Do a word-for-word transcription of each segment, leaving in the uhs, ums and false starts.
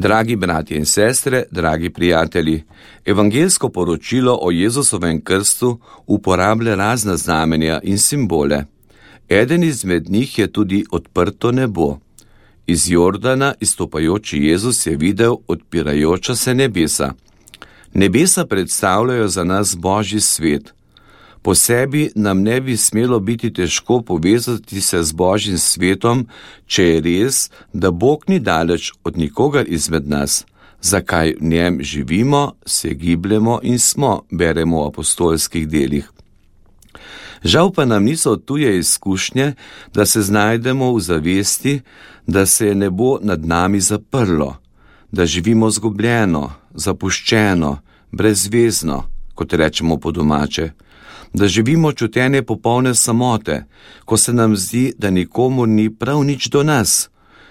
Dragi bratje in sestre, dragi prijatelji, evangeljsko poročilo o Jezusovem krstu uporablja razna znamenja in simbole. Eden izmed njih je tudi odprto nebo. Iz Jordana izstopajoči Jezus je videl odpirajoča se nebesa. Nebesa predstavljajo za nas Božji svet. Po sebi nam ne bi smelo biti težko povezati se z Božjim svetom, če je res, da Bog ni daleč od nikogar izmed nas, zakaj v njem živimo, se gibljemo in smo, beremo v apostolskih delih. Žal pa nam niso tuje izkušnje, da se znajdemo v zavesti, da se je nebo nad nami zaprlo, da živimo zgubljeno, zapuščeno, brezvezno, kot rečemo po domače, da živimo čutenje popolne samote, ko se nam zdi, da nikomu ni prav nič do nas,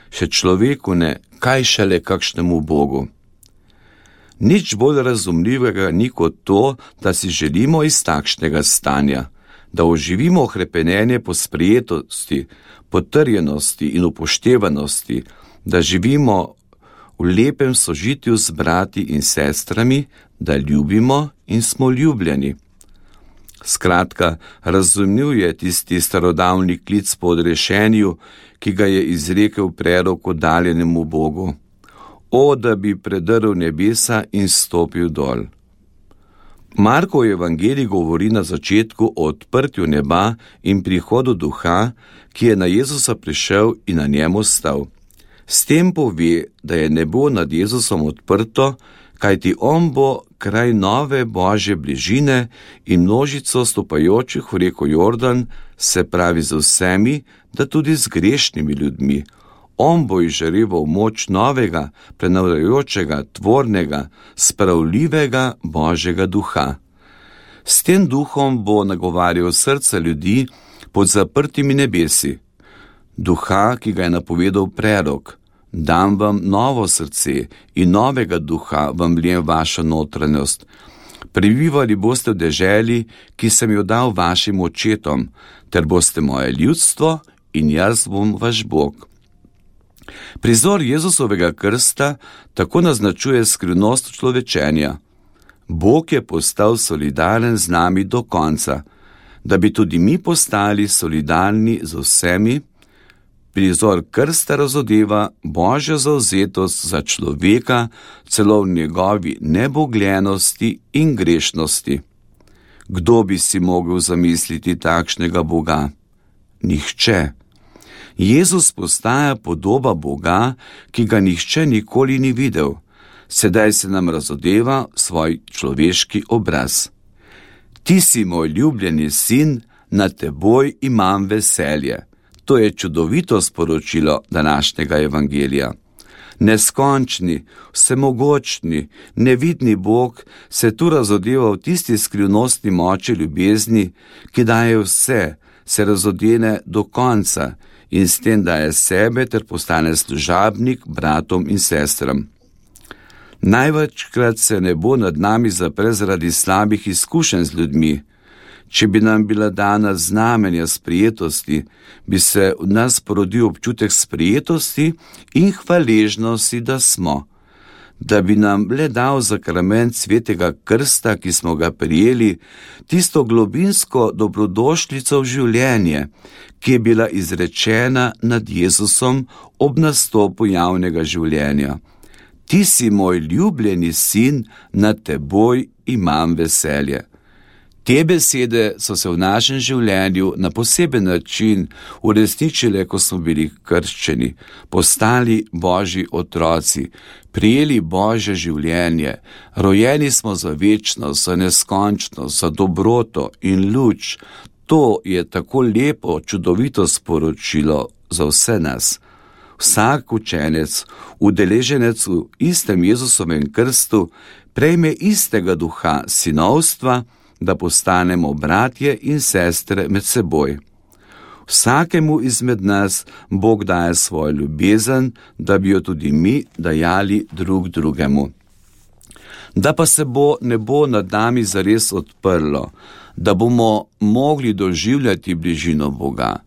še človeku ne, kaj šele kakšnemu Bogu. Nič bolj razumljivega ni kot to, da si želimo iz takšnega stanja, da oživimo hrepenenje po sprejetosti, potrjenosti in upoštevanosti, da živimo v lepem sožitju z brati in sestrami, da ljubimo in smo ljubljeni. Skratka, razumljiv je tisti starodavni klic po odrešenju, ki ga je izrekel prerok oddaljenemu Bogu. O, da bi predrl nebesa in stopil dol. Markov evangelij govori na začetku o odprtju neba in prihodu duha, ki je na Jezusa prišel in na njemu stal. S tem pove, da je nebo nad Jezusom odprto, kajti on bo kraj nove Božje bližine in množico stopajočih v reko Jordan, se pravi z vsemi, da tudi z grešnimi ljudmi. On bo izžareval moč novega, prenavljajočega, tvornega, spravljivega Božjega duha. S tem duhom bo nagovarjal srca ljudi pod zaprtimi nebesi. Duha, ki ga je napovedal prerok. Dam vam novo srce in novega duha vam vlijem vašo notranjost. Prebivali boste v deželi, ki sem jo dal vašim očetom, ter boste moje ljudstvo in jaz bom vaš Bog. Prizor Jezusovega krsta tako naznačuje skrivnost človečenja. Bog je postal solidaren z nami do konca, da bi tudi mi postali solidarni z vsemi. Prizor krsta razodeva Božjo zavzetost za človeka, celo v njegovi nebogljenosti in grešnosti. Kdo bi si mogel zamisliti takšnega Boga? Nihče. Jezus postaja podoba Boga, ki ga nihče nikoli ni videl. Sedaj se nam razodeva svoj človeški obraz. Ti si moj ljubljeni sin, nad teboj imam veselje. To je čudovito sporočilo današnjega evangelija. Neskončni, vsemogočni, nevidni Bog se tu razodeva v tisti skrivnostni moči ljubezni, ki daje vse, se razodene do konca in s tem daje sebe ter postane služabnik bratom in sestram. Največkrat se nebo nad nami zapre zaradi slabih izkušenj z ljudmi. Če bi nam bila dana znamenja sprijetosti, bi se v nas porodil občutek sprijetosti in hvaležnosti, da smo. Da bi nam le dal zakrament svetega krsta, ki smo ga prijeli, tisto globinsko dobrodošlico v življenje, ki je bila izrečena nad Jezusom ob nastopu javnega življenja. Ti si moj ljubljeni sin, nad teboj imam veselje. Te besede so se v našem življenju na poseben način uresničile, ko smo bili krščeni, postali Božji otroci, prijeli Božje življenje, rojeni smo za večnost, za neskončnost, za dobroto in luč. To je tako lepo, čudovito sporočilo za vse nas. Vsak učenec, udeleženec v istem Jezusovem krstu, prejme istega duha sinovstva, da postanemo bratje in sestre med seboj. Vsakemu izmed nas Bog daje svojo ljubezen, da bi jo tudi mi dajali drug drugemu. Da pa se bo nebo nad nami zares odprlo, da bomo mogli doživljati bližino Boga,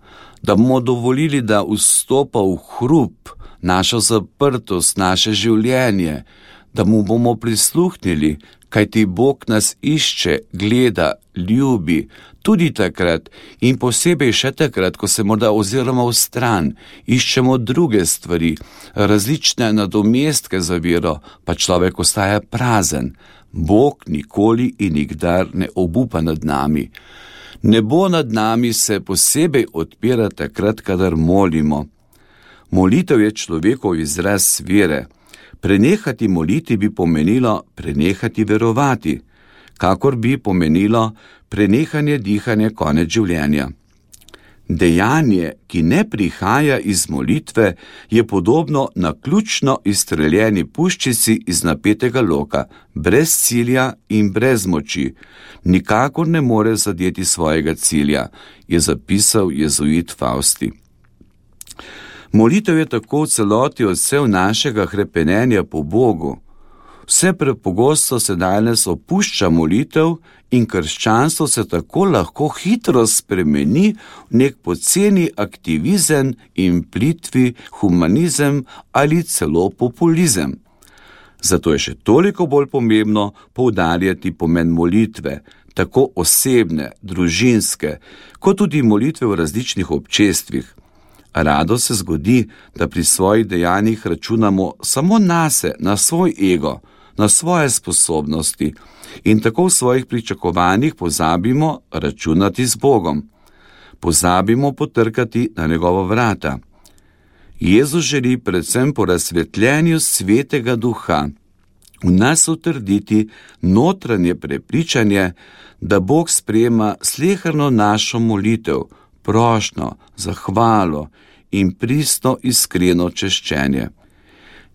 da bomo dovolili, da vstopa v hrup našo zaprtost, naše življenje, da mu bomo prisluhnili, kajti Bog nas išče, gleda, ljubi, tudi takrat in posebej še takrat, ko se morda oziramo v stran, iščemo druge stvari, različne nadomestke za vero, pa človek ostaja prazen. Bog nikoli in nikdar ne obupa nad nami. Nebo nad nami se posebej odpira takrat, kadar molimo. Molitev je človekov izraz vere. Prenehati moliti bi pomenilo prenehati verovati, kakor bi pomenilo prenehanje dihanja konec življenja. Dejanje, ki ne prihaja iz molitve, je podobno naključno izstreljeni puščici iz napetega loka, brez cilja in brez moči. Nikakor ne more zadeti svojega cilja, je zapisal jezuit Fausti. Molitev je tako v celoti odsev našega hrepenenja po Bogu. Vse prepogosto se danes opušča molitev in krščanstvo se tako lahko hitro spremeni v nek poceni aktivizem in plitvi humanizem ali celo populizem. Zato je še toliko bolj pomembno poudarjati pomen molitve, tako osebne, družinske, kot tudi molitve v različnih občestvih. Rado se zgodi, da pri svojih dejanjih računamo samo nase, na svoj ego, na svoje sposobnosti in tako v svojih pričakovanjih pozabimo računati z Bogom. Pozabimo potrkati na njegova vrata. Jezus želi predvsem po razsvetljenju Svetega Duha v nas utrditi notranje prepričanje, da Bog sprejema sleherno našo molitev, prošnjo, zahvalo in pristno iskreno češčenje.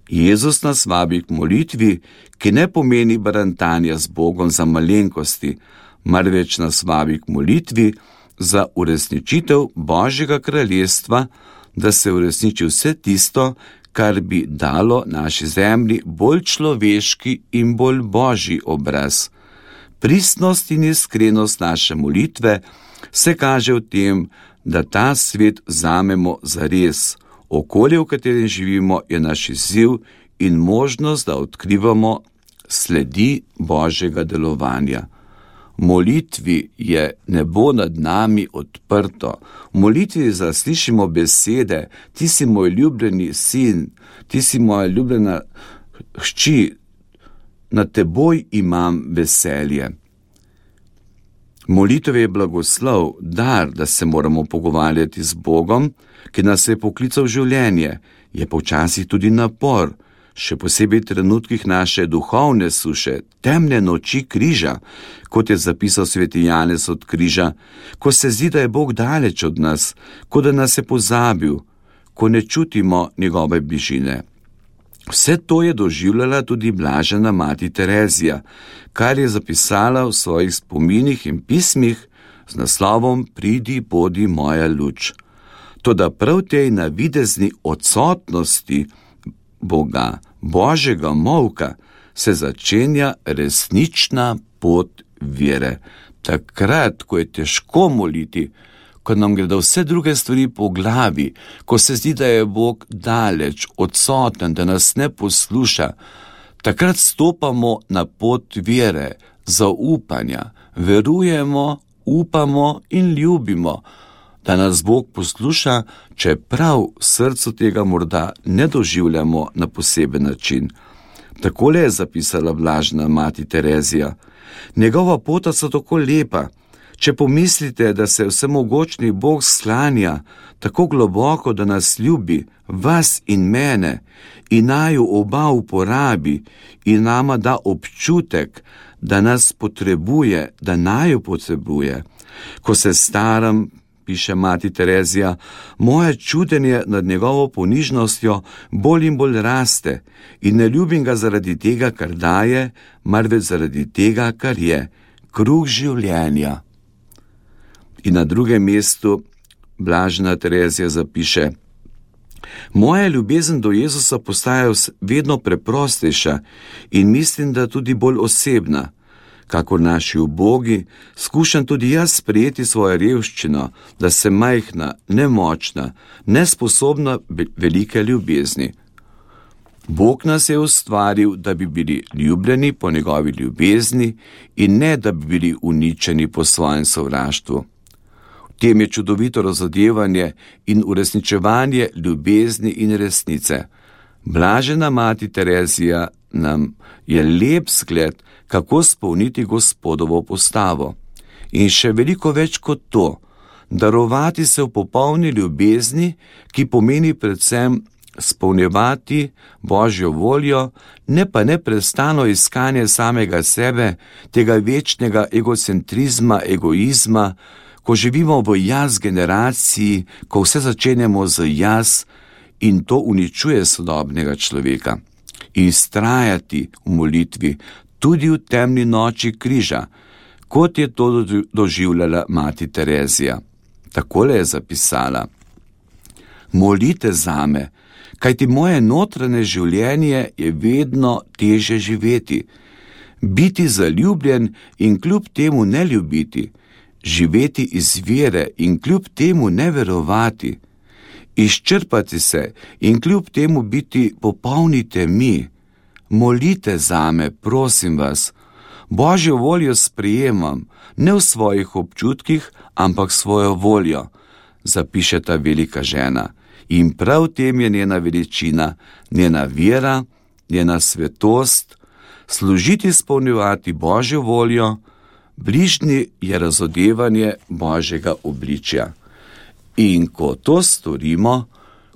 Jezus nas vabi k molitvi, ki ne pomeni barantanja z Bogom za malenkosti, marveč nas vabi k molitvi za uresničitev Božjega kraljestva, da se uresniči vse tisto, kar bi dalo naši zemlji bolj človeški in bolj božji obraz. Pristnost in iskrenost naše molitve se kaže v tem, da ta svet vzamemo zares. Okolje, v katerem živimo, je naš izziv in možnost, da odkrivamo sledi Božjega delovanja. V molitvi je nebo nad nami odprto. V molitvi zaslišimo besede: ti si moj ljubljeni sin, ti si moja ljubljena hči, nad teboj imam veselje. Molitev je blagoslov, dar, da se moramo pogovarjati z Bogom, ki nas je poklical v življenje, je pa včasih tudi napor, še posebej v trenutkih naše duhovne suše, temne noči križa, kot je zapisal sveti Janez od križa, ko se zdi, da je Bog daleč od nas, kot da nas je pozabil, ko ne čutimo njegove bližine. Vse to je doživljala tudi blažena mati Terezija, kar je zapisala v svojih spominih in pismih z naslovom Pridi, bodi moja luč. Toda prav tej navidezni odsotnosti Boga, Božjega molka, se začenja resnična pot vere. Takrat, ko je težko moliti, ko nam gredo vse druge stvari po glavi, ko se zdi, da je Bog daleč, odsoten, da nas ne posluša, takrat stopamo na pot vere, zaupanja, verujemo, upamo in ljubimo, da nas Bog posluša, čeprav v srcu tega morda ne doživljamo na poseben način. Takole je zapisala blažena mati Terezija: njegova pota so tako lepa. Če pomislite, da se vsemogočni Bog sklanja tako globoko, da nas ljubi, vas in mene, in naju oba uporabi in nama da občutek, da nas potrebuje, da naju potrebuje. Ko se staram, piše mati Terezija, moje čudenje nad njegovo ponižnostjo bolj in bolj raste in ne ljubim ga zaradi tega, kar daje, marveč zaradi tega, kar je, kruh življenja. In na drugem mestu blažena Terezija zapiše: moja ljubezen do Jezusa postaja vedno preprostejša in mislim, da tudi bolj osebna. Kako naši ubogi, skušam tudi jaz sprejeti svojo revščino, da sem majhna, nemočna, nesposobna velike ljubezni. Bog nas je ustvaril, da bi bili ljubljeni po njegovi ljubezni in ne, da bi bili uničeni po svojem sovraštvu. V tem je čudovito razodevanje in uresničevanje ljubezni in resnice. Blažena mati Terezija nam je lep zgled, kako spolniti Gospodovo postavo. In še veliko več kot to, darovati se v popolni ljubezni, ki pomeni predvsem spolnjevati Božjo voljo, ne pa neprestano iskanje samega sebe, tega večnega egocentrizma, egoizma, ko živimo v jaz generaciji, ko vse začenjamo z jaz in to uničuje sodobnega človeka. In vztrajati v molitvi, tudi v temni noči križa, kot je to doživljala mati Terezija. Takole je zapisala: Molite zame, kajti moje notranje življenje je vedno teže živeti. Biti zaljubljen in kljub temu ne ljubiti, živeti iz vere in kljub temu ne verovati, izčrpati se in kljub temu biti popolni temi. Molite zame, prosim vas. Božjo voljo sprejemam, ne v svojih občutkih, ampak svojo voljo, zapiše ta velika žena. In prav v tem je njena veličina, njena vera, njena svetost, služiti izpolnjevati Božjo voljo, bližnji je razodevanje Božjega obličja. In ko to storimo,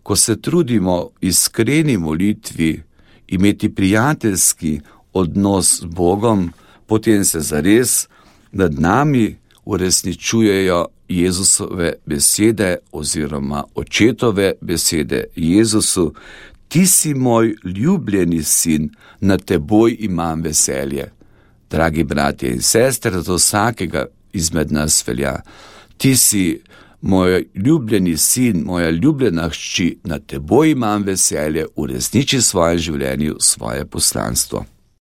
ko se trudimo v iskreni molitvi imeti prijateljski odnos z Bogom, potem se zares nad nami uresničujejo Jezusove besede oziroma očetove besede Jezusu: Ti si moj ljubljeni sin, nad teboj imam veselje. Dragi bratje in sestre, za vsakega izmed nas velja: Ti si moj ljubljeni sin, moja ljubljena hči, nad teboj imam veselje, uresniči v svojem življenju svoje poslanstvo.